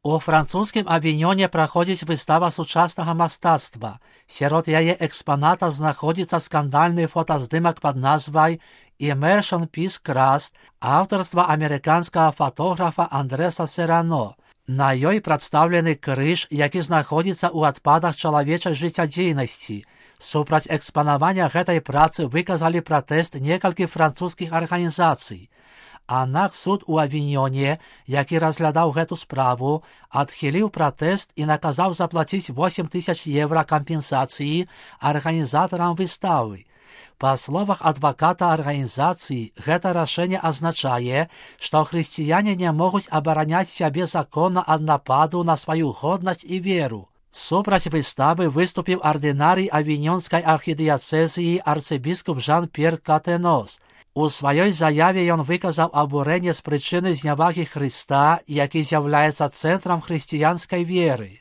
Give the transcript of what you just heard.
У французскім Авіньёне праходзіць выстава сучаснага мастацтва. Сярод яе экспанатаў знаходзіцца скандальны фотаздымак пад назвай «Immersion Peace Crust» аўтарства амерыканскага фотографа Андрэса Серано. На ёй прадстаўлены крыж, які знаходзіцца ў адпадах чалавечай жыццядзейнасці. Супраць экспанавання гэтай працы выказалі пратэст некалькі французскіх арганізацый. Аднак суд у Авіньёне, які разглядаў гэту справу, адхіліў пратэст і наказаў заплаціць 8000 евро кампенсацыі арганізатарам выставы. Па словах адваката арганізацыі, гэта рашэнне азначае, што хрысціяне не могуць абараняць сябе законна ад нападу на сваю годнасць і веру. Супраць выставы выступіў ардынарый авіньёнскай архідыяцэзіі арцыбіскуп Жан-П'ер Катэнос. У сваёй заяве ён выказаў абурэнне з прычыны знявагі Хрыста, які з'яўляецца цэнтрам хрысціянскай веры.